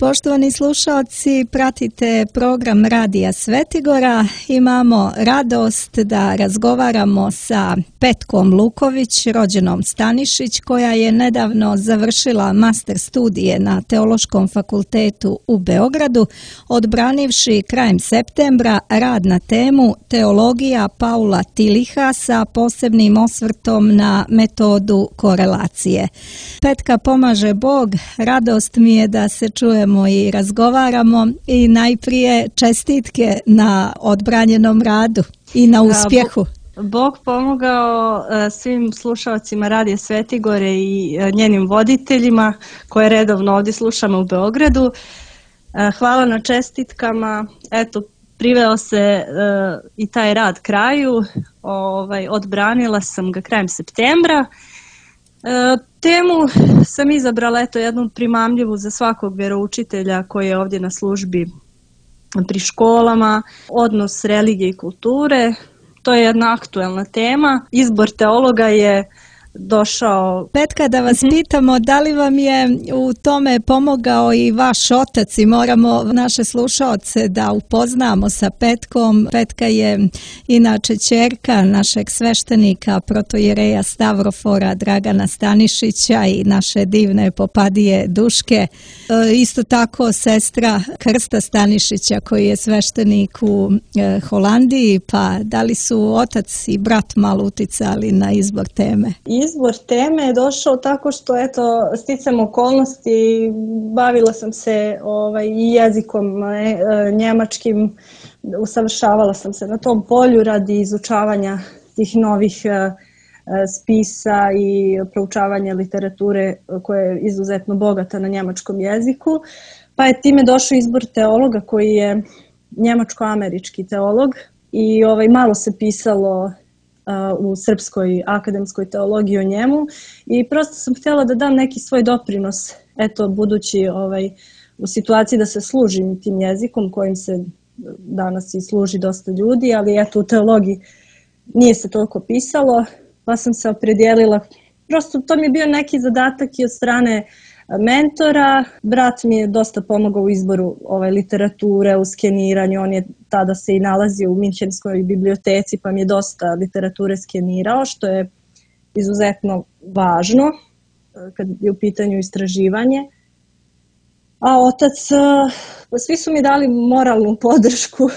Poštovani slušalci, pratite program Radija Svetigora. Imamo radost da razgovaramo sa Petkom Luković, rođenom Stanišić, koja je nedavno završila master studije na Teološkom fakultetu u Beogradu, odbranivši krajem septembra rad na temu Teologija Paula Tiliha sa posebnim osvrtom na metodu korelacije. Petka, pomaže Bog, radost mi je da se čujemo i razgovaramo i najprije čestitke na odbranjenom radu i na uspjehu. Bog pomogao svim slušalcima Radija Svetigore i njenim voditeljima koje redovno ovdje slušamo u Beogradu. Hvala na čestitkama. Eto, priveo se i taj rad kraju. Odbranila sam ga krajem septembra. Temu sam izabrala jednu primamljivu za svakog vjeroučitelja koji je ovdje na službi pri školama, odnos religije i kulture. To je jedna aktuelna tema. Izbor teologa je došao. Petka, da vas pitamo, da li vam je u tome pomogao i vaš otac, i moramo naše slušaoce da upoznamo sa Petkom. Petka je inače ćerka našeg sveštenika protojereja Stavrofora Dragana Stanišića i naše divne popadije Duške. Isto tako sestra Krsta Stanišića koji je sveštenik u Holandiji, pa da li su otac i brat malo uticali na izbor teme? Izbor teme je došao tako što, sticam okolnosti, bavila sam se i jezikom njemačkim, usavršavala sam se na tom polju radi izučavanja tih novih spisa i proučavanja literature koja je izuzetno bogata na njemačkom jeziku. Pa je time došao izbor teologa koji je njemačko-američki teolog i malo se pisalo u srpskoj akademskoj teologiji o njemu i prosto sam htjela da dam neki svoj doprinos, budući u situaciji da se služim tim jezikom kojim se danas i služi dosta ljudi, ali u teologiji nije se toliko pisalo, pa sam se opredijelila. Prosto to mi je bio neki zadatak i od strane mentora. Brat mi je dosta pomogao u izboru literature, u skeniranju. On je tada se i nalazio u Minhenskoj biblioteci, pa mi je dosta literature skenirao, što je izuzetno važno kad je u pitanju istraživanje. A otac, svi su mi dali moralnu podršku,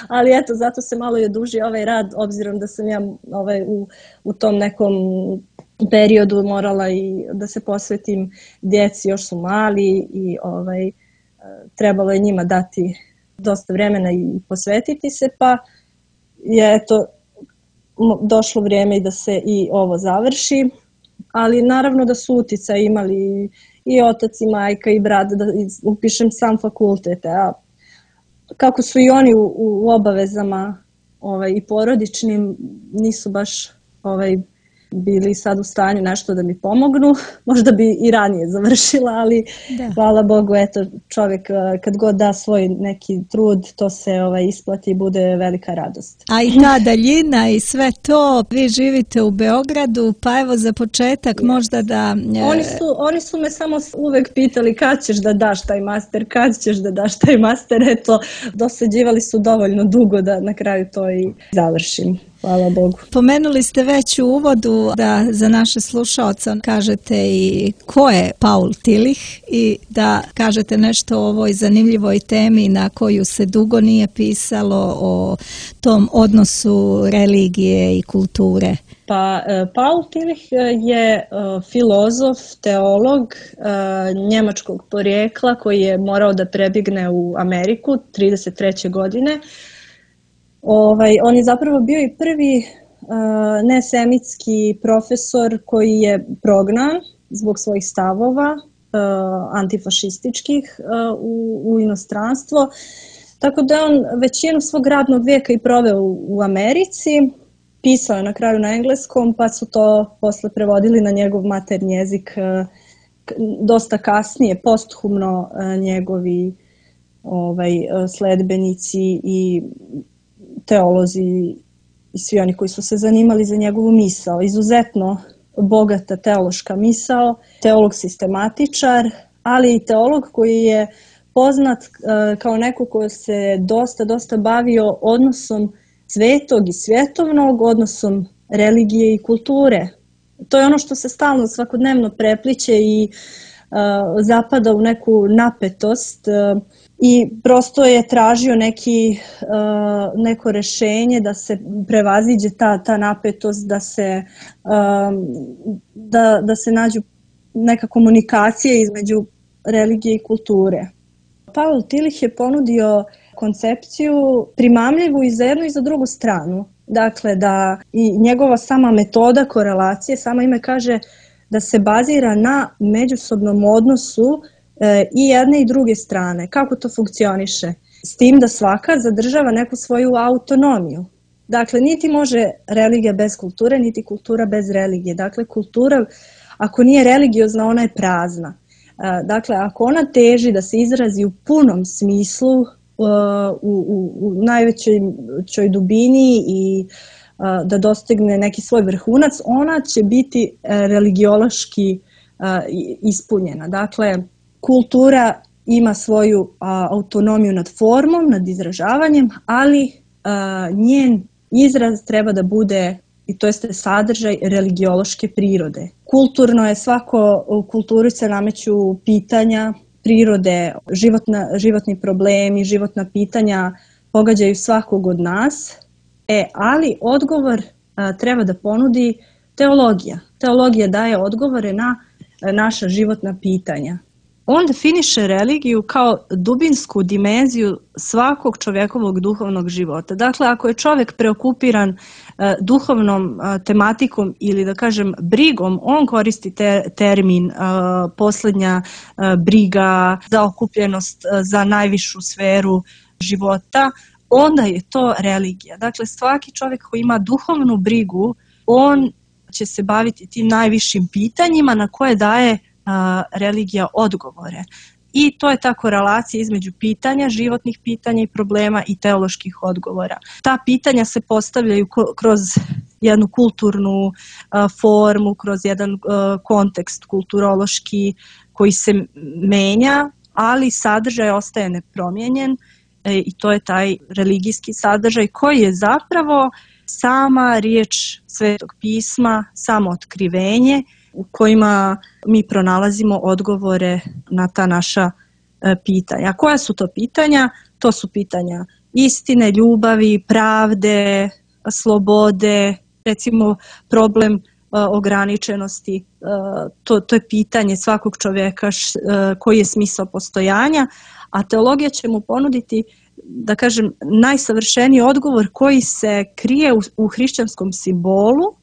ali zato se malo i odužio ovaj rad, obzirom da sam ja u tom nekom periodu morala i da se posvetim djeci, još su mali i trebalo je njima dati dosta vremena i posvetiti se, pa je došlo vrijeme i da se i ovo završi, ali naravno da su uticaj imali i otac i majka i brat da upišem sam fakultet, a kako su i oni u obavezama i porodičnim, nisu baš bili sad u stanju nešto da mi pomognu. Možda bi i ranije završila, ali hvala Bogu, čovjek kad god da svoj neki trud, to se isplati i bude velika radost. A i ta daljina i sve to, vi živite u Beogradu, pa evo za početak možda da... Oni su me samo uvek pitali kad ćeš da daš taj master, dosađivali su dovoljno dugo da na kraju to i završim. Hvala Bogu. Pomenuli ste već u uvodu da za naše slušaoce kažete i ko je Paul Tillich i da kažete nešto o ovoj zanimljivoj temi na koju se dugo nije pisalo, o tom odnosu religije i kulture. Pa Paul Tillich je filozof, teolog njemačkog porijekla koji je morao da prebjegne u Ameriku 1933. godine. On je zapravo bio i prvi nesemitski profesor koji je prognan zbog svojih stavova antifašističkih u inostranstvo. Tako da on većinu svog radnog vijeka i proveo u Americi. Pisao je na kraju na engleskom, pa su to posle prevodili na njegov maternji jezik dosta kasnije, posthumno njegovi sledbenici i teolozi i svi oni koji su se zanimali za njegovu misao. Izuzetno bogata teološka misao, teolog sistematičar, ali i teolog koji je poznat kao neko ko se dosta bavio odnosom svetog i svjetovnog, odnosom religije i kulture. To je ono što se stalno svakodnevno prepliće i zapada u neku napetost i prosto je tražio neko rješenje da se prevaziđe ta napetost, da se nađu neka komunikacija između religije i kulture. Pavel Tillich je ponudio koncepciju primamljivu i za jednu i za drugu stranu. Dakle, da i njegova sama metoda korelacije, samo ime kaže da se bazira na međusobnom odnosu i jedne i druge strane. Kako to funkcioniše? S tim da svaka zadržava neku svoju autonomiju. Dakle, niti može religija bez kulture, niti kultura bez religije. Dakle, kultura, ako nije religiozna, ona je prazna. Dakle, ako ona teži da se izrazi u punom smislu, u najvećoj dubini i da dostigne neki svoj vrhunac, ona će biti religiološki ispunjena. Dakle, kultura ima svoju autonomiju nad formom, nad izražavanjem, ali njen izraz treba da bude, i to jeste sadržaj religiološke prirode. Kulturno je u kulturi se nameću pitanja prirode, životni problemi, životna pitanja pogađaju svakog od nas, ali odgovor treba da ponudi teologija. Teologija daje odgovore na naša životna pitanja. On definiše religiju kao dubinsku dimenziju svakog čovjekovog duhovnog života. Dakle, ako je čovjek preokupiran duhovnom tematikom ili da kažem brigom, on koristi termin posljednja briga, zaokupljenost za najvišu sferu života, onda je to religija. Dakle, svaki čovjek koji ima duhovnu brigu, on će se baviti tim najvišim pitanjima na koje daje religija odgovore. I to je ta korelacija između pitanja, životnih pitanja i problema i teoloških odgovora. Ta pitanja se postavljaju kroz jednu kulturnu formu, kroz jedan kontekst kulturološki koji se menja, ali sadržaj ostaje nepromijenjen i to je taj religijski sadržaj koji je zapravo sama riječ Svetog pisma, samo otkrivenje u kojima mi pronalazimo odgovore na ta naša pitanja. A koja su to pitanja? To su pitanja istine, ljubavi, pravde, slobode, recimo problem ograničenosti. To je pitanje svakog čovjeka koji je smisao postojanja, a teologija će mu ponuditi, da kažem, najsavršeniji odgovor koji se krije u hrišćanskom simbolu,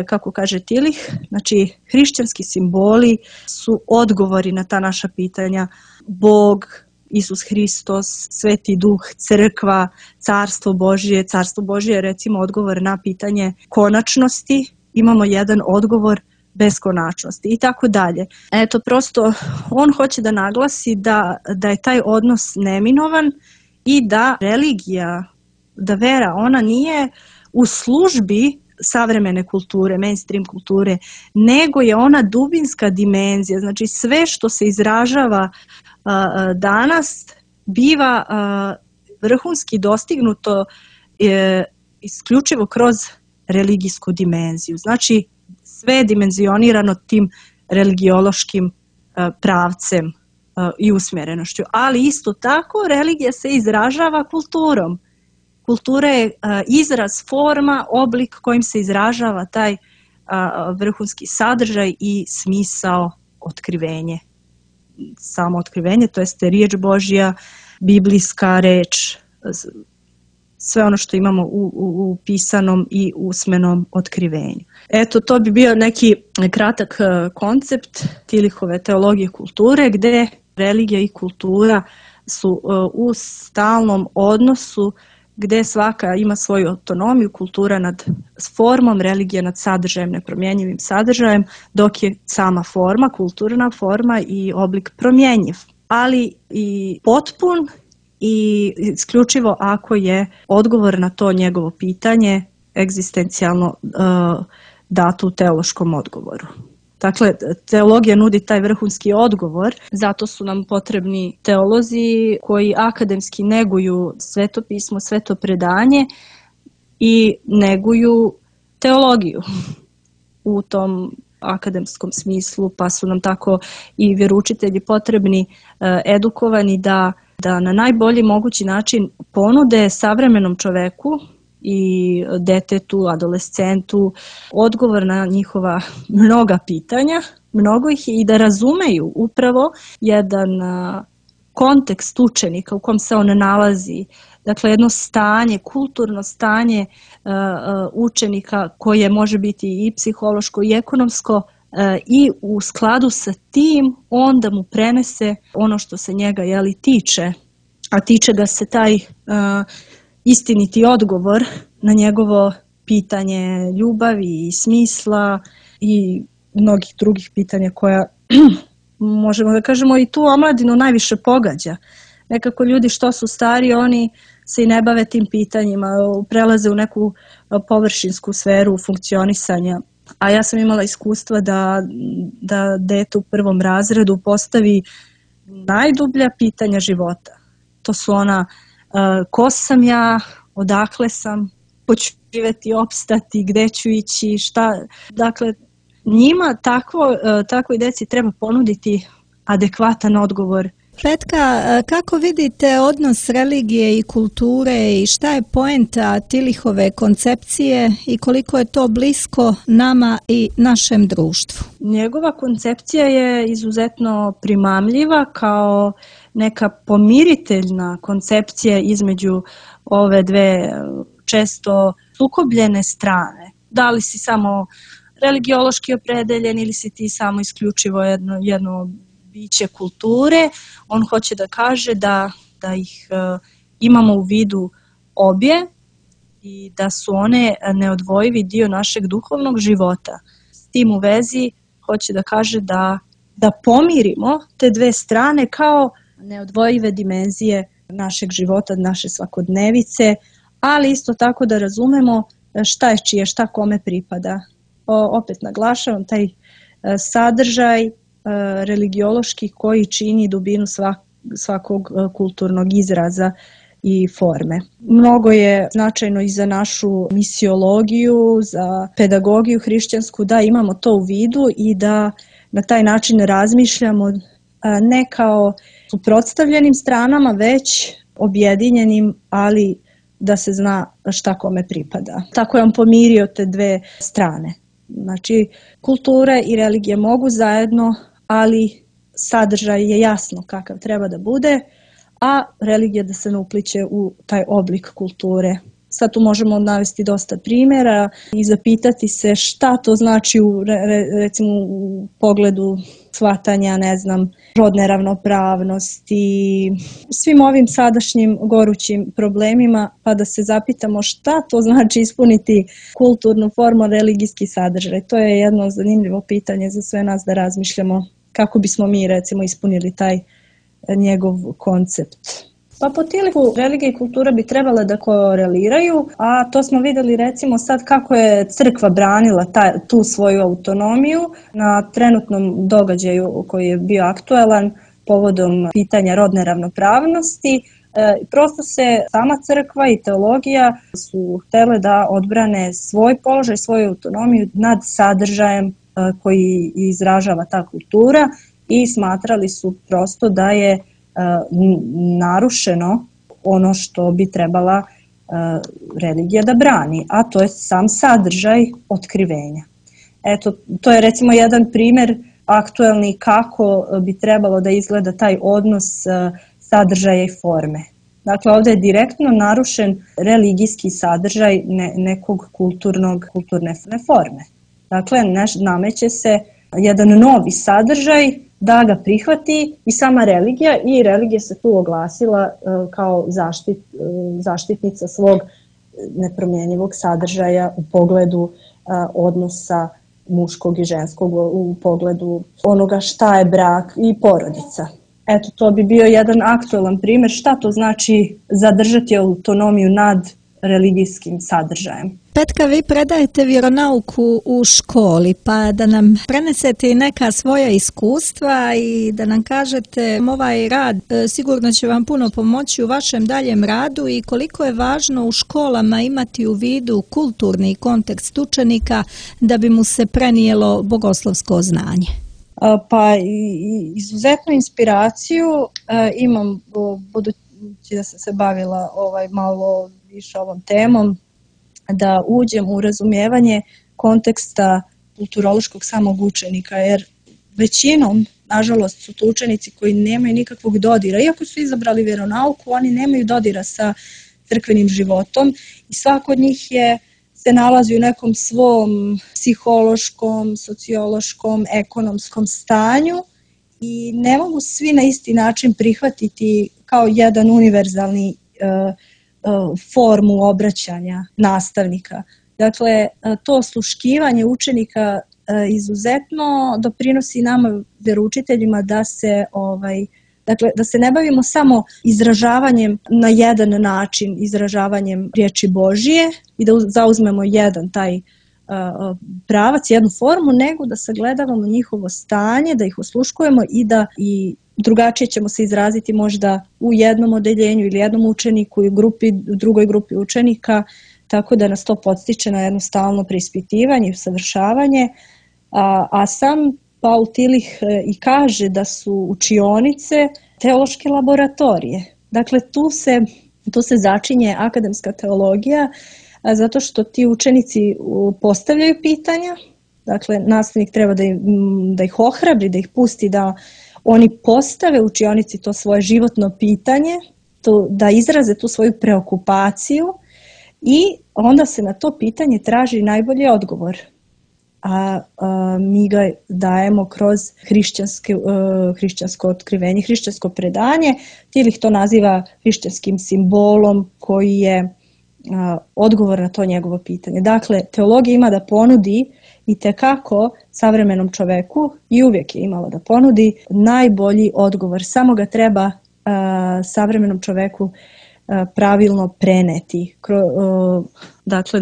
kako kaže Tillich. Znači, hrišćanski simboli su odgovori na ta naša pitanja. Bog, Isus Hristos, Sveti Duh, Crkva, Carstvo Božje. Carstvo Božje je recimo odgovor na pitanje konačnosti. Imamo jedan odgovor beskonačnosti i tako dalje. Eto, prosto on hoće da naglasi da je taj odnos neminovan i da religija, da vera, ona nije u službi savremene kulture, mainstream kulture, nego je ona dubinska dimenzija. Znači sve što se izražava danas biva vrhunski dostignuto isključivo kroz religijsku dimenziju. Znači sve je dimenzionirano tim religiološkim pravcem i usmjerenošću. Ali isto tako religija se izražava kulturom. Kultura je izraz, forma, oblik kojim se izražava taj vrhunski sadržaj i smisao otkrivenje. Samo otkrivenje, to jeste riječ Božja, biblijska reč, sve ono što imamo u pisanom i usmenom otkrivenju. Eto, to bi bio neki kratak koncept Tillichove teologije kulture, gdje religija i kultura su u stalnom odnosu, gdje svaka ima svoju autonomiju, kultura nad formom, religija nad sadržajem, nepromjenjivim sadržajem, dok je sama forma, kulturna forma i oblik promjenjiv, ali i potpun i isključivo ako je odgovor na to njegovo pitanje egzistencijalno dato u teološkom odgovoru. Dakle, teologija nudi taj vrhunski odgovor, zato su nam potrebni teolozi koji akademski neguju svetopismo, sveto predanje i neguju teologiju u tom akademskom smislu, pa su nam tako i vjeroučitelji potrebni, edukovani da na najbolji mogući način ponude savremenom čoveku i detetu, adolescentu odgovor na njihova mnoga pitanja, mnogo ih i da razumeju upravo jedan kontekst učenika u kom se on nalazi. Dakle, jedno stanje, kulturno stanje učenika koje može biti i psihološko i ekonomsko i u skladu sa tim onda mu prenese ono što se njega tiče, a tiče ga se taj istiniti odgovor na njegovo pitanje ljubavi i smisla i mnogih drugih pitanja koja možemo da kažemo i tu omladinu najviše pogađa. Nekako ljudi što su stari, oni se i ne bave tim pitanjima, prelaze u neku površinsku sferu funkcionisanja. A ja sam imala iskustva da dete u 1. razredu postavi najdublja pitanja života. To su ona ko sam ja, odakle sam, hoću živjeti, opstati, gde ću ići, šta. Dakle, njima takvoj deci treba ponuditi adekvatan odgovor. Petka, kako vidite odnos religije i kulture i šta je poenta Tillichove koncepcije i koliko je to blisko nama i našem društvu? Njegova koncepcija je izuzetno primamljiva kao neka pomiriteljna koncepcija između ove dve često sukobljene strane. Da li si samo religiološki opredeljen ili si ti samo isključivo jedno biće kulture, on hoće da kaže da ih imamo u vidu obje i da su one neodvojivi dio našeg duhovnog života. S tim u vezi hoće da kaže da pomirimo te dve strane kao neodvojive dimenzije našeg života, naše svakodnevice, ali isto tako da razumemo šta je čije, šta kome pripada. Opet naglašavam taj sadržaj religiološki koji čini dubinu svakog kulturnog izraza i forme. Mnogo je značajno i za našu misiologiju, za pedagogiju hrišćansku da imamo to u vidu i da na taj način razmišljamo ne kao suprotstavljenim stranama, već objedinjenim, ali da se zna šta kome pripada. Tako je on pomirio te dve strane. Znači, kultura i religija mogu zajedno, ali sadržaj je jasno kakav treba da bude, a religija da se ne upliće u taj oblik kulture. Sad tu možemo navesti dosta primjera i zapitati se šta to znači recimo u pogledu shvatanja, rodne ravnopravnosti, svim ovim sadašnjim gorućim problemima, pa da se zapitamo šta to znači ispuniti kulturnu formu, religijski sadržaj. To je jedno zanimljivo pitanje za sve nas da razmišljamo kako bismo mi recimo ispunili taj njegov koncept. Pa po Tillichu religija i kultura bi trebala da koreliraju, a to smo vidjeli recimo sad kako je crkva branila tu svoju autonomiju na trenutnom događaju koji je bio aktuelan povodom pitanja rodne ravnopravnosti. Prosto se sama crkva i teologija su htjele da odbrane svoj položaj, svoju autonomiju nad sadržajem koji izražava ta kultura i smatrali su prosto da je narušeno ono što bi trebala religija da brani, a to je sam sadržaj otkrivenja. Eto, to je recimo jedan primjer aktuelni kako bi trebalo da izgleda taj odnos sadržaja i forme. Dakle, ovdje je direktno narušen religijski sadržaj nekog kulturne forme. Dakle, nameće se jedan novi sadržaj da ga prihvati i sama religija, i religija se tu oglasila kao zaštitnica svog nepromjenjivog sadržaja u pogledu odnosa muškog i ženskog, u pogledu onoga šta je brak i porodica. Eto, to bi bio jedan aktuelan primjer šta to znači zadržati autonomiju nad religijskim sadržajem. Petka, vi predajete vjeronauku u školi, pa da nam prenesete i neka svoja iskustva i da nam kažete ovaj rad sigurno će vam puno pomoći u vašem daljem radu i koliko je važno u školama imati u vidu kulturni kontekst učenika da bi mu se prenijelo bogoslovsko znanje. Pa izuzetnu inspiraciju imam, budući da sam se bavila malo više ovom temom, da uđem u razumijevanje konteksta kulturološkog samog učenika, jer većinom, nažalost, su to učenici koji nemaju nikakvog dodira. Iako su izabrali vjeronauku, oni nemaju dodira sa crkvenim životom i svako od njih se nalazi u nekom svom psihološkom, sociološkom, ekonomskom stanju i ne mogu svi na isti način prihvatiti kao jedan univerzalni formu obraćanja nastavnika. Dakle, to osluškivanje učenika izuzetno doprinosi nama vjeroučiteljima da se ne bavimo samo izražavanjem na jedan način, izražavanjem riječi Božije i da zauzmemo jedan taj pravac, jednu formu, nego da sagledavamo njihovo stanje, da ih osluškujemo i drugačije ćemo se izraziti možda u jednom odeljenju ili jednom učeniku i u drugoj grupi učenika, tako da nas to podstiče na jedno stalno preispitivanje i usavršavanje. A sam Paul Tillich i kaže da su učionice teološke laboratorije. Dakle, tu se začinje akademska teologija, zato što ti učenici postavljaju pitanja, dakle nastavnik treba da ih ohrabri, da ih pusti da oni postave u učionici to svoje životno pitanje, da izraze tu svoju preokupaciju i onda se na to pitanje traži najbolji odgovor. A mi ga dajemo kroz hrišćansko otkrivenje, hrišćansko predanje. Tillich to naziva hrišćanskim simbolom koji je odgovor na to njegovo pitanje. Dakle, teologija ima da ponudi itekako savremenom čoveku i uvijek je imala da ponudi najbolji odgovor. Samo ga treba savremenom čoveku pravilno preneti. Dakle,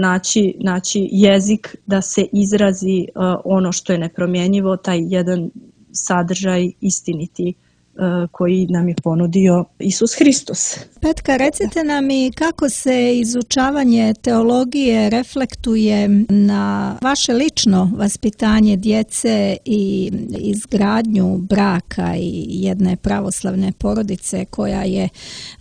naći jezik da se izrazi ono što je nepromjenjivo, taj jedan sadržaj istiniti koji nam je ponudio Isus Hristos. Petka, recite nam i kako se izučavanje teologije reflektuje na vaše lično vaspitanje djece i izgradnju braka i jedne pravoslavne porodice koja je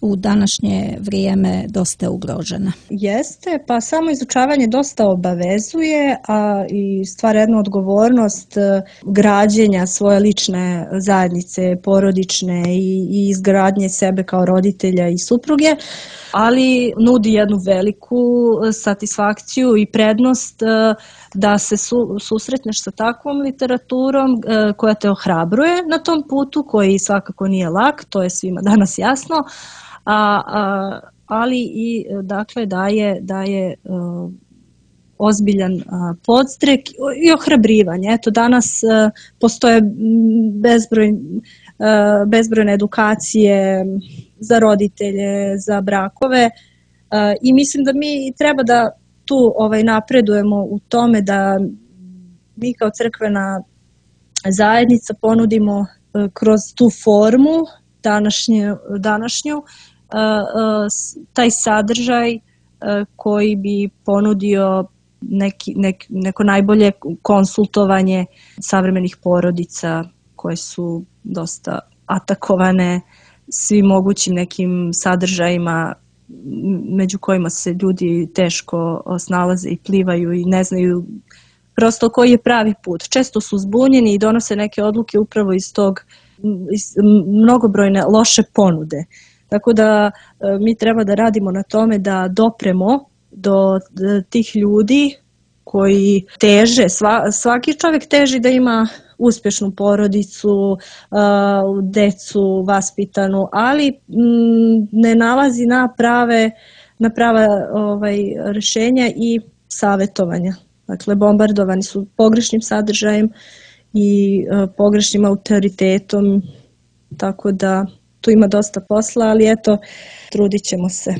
u današnje vrijeme dosta ugrožena. Jeste, pa samo izučavanje dosta obavezuje, a i stvara jednu odgovornost građenja svoje lične zajednice, porodične i izgradnje sebe kao roditelja i supruge, ali nudi jednu veliku satisfakciju i prednost da se susretneš sa takvom literaturom koja te ohrabruje na tom putu koji svakako nije lak, to je svima danas jasno, ali i dakle daje ozbiljan podstrek i ohrabrivanje. Eto, danas postoje bezbrojne edukacije za roditelje, za brakove i mislim da mi treba da tu napredujemo u tome da mi kao crkvena zajednica ponudimo kroz tu formu današnju taj sadržaj koji bi ponudio neko najbolje konsultovanje savremenih porodica koje su dosta atakovane svim mogućim nekim sadržajima među kojima se ljudi teško snalaze i plivaju i ne znaju prosto koji je pravi put. Često su zbunjeni i donose neke odluke upravo iz mnogobrojne loše ponude. Tako da mi treba da radimo na tome da dopremo do tih ljudi koji teže, svaki čovjek teži da ima uspješnu porodicu, decu vaspitanu, ali ne nalazi na prava rješenja i savjetovanja. Dakle, bombardovani su pogrešnim sadržajem i pogrešnim autoritetom, tako da tu ima dosta posla, ali eto, trudit ćemo se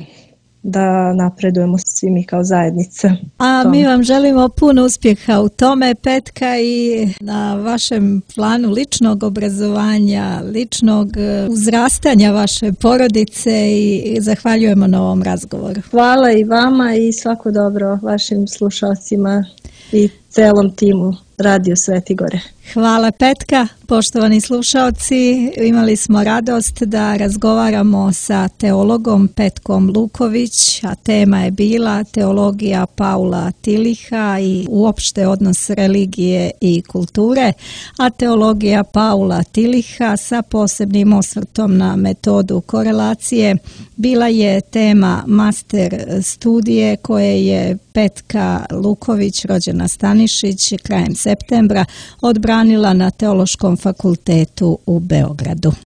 da napredujemo svi mi kao zajednica. A mi vam želimo puno uspjeha u tome, Petka, i na vašem planu ličnog obrazovanja, ličnog uzrastanja vaše porodice i zahvaljujemo na ovom razgovoru. Hvala i vama i svako dobro vašim slušalcima i celom timu Radio Sveti Gore. Hvala, Petka. Poštovani slušalci, imali smo radost da razgovaramo sa teologom Petkom Luković, a tema je bila teologija Paula Tiliha i uopšte odnos religije i kulture, a teologija Paula Tiliha sa posebnim osvrtom na metodu korelacije bila je tema master studije koje je Petka Luković, rođena Stanišić, krajem septembra odbranila na Teološkom fakultetu u Beogradu.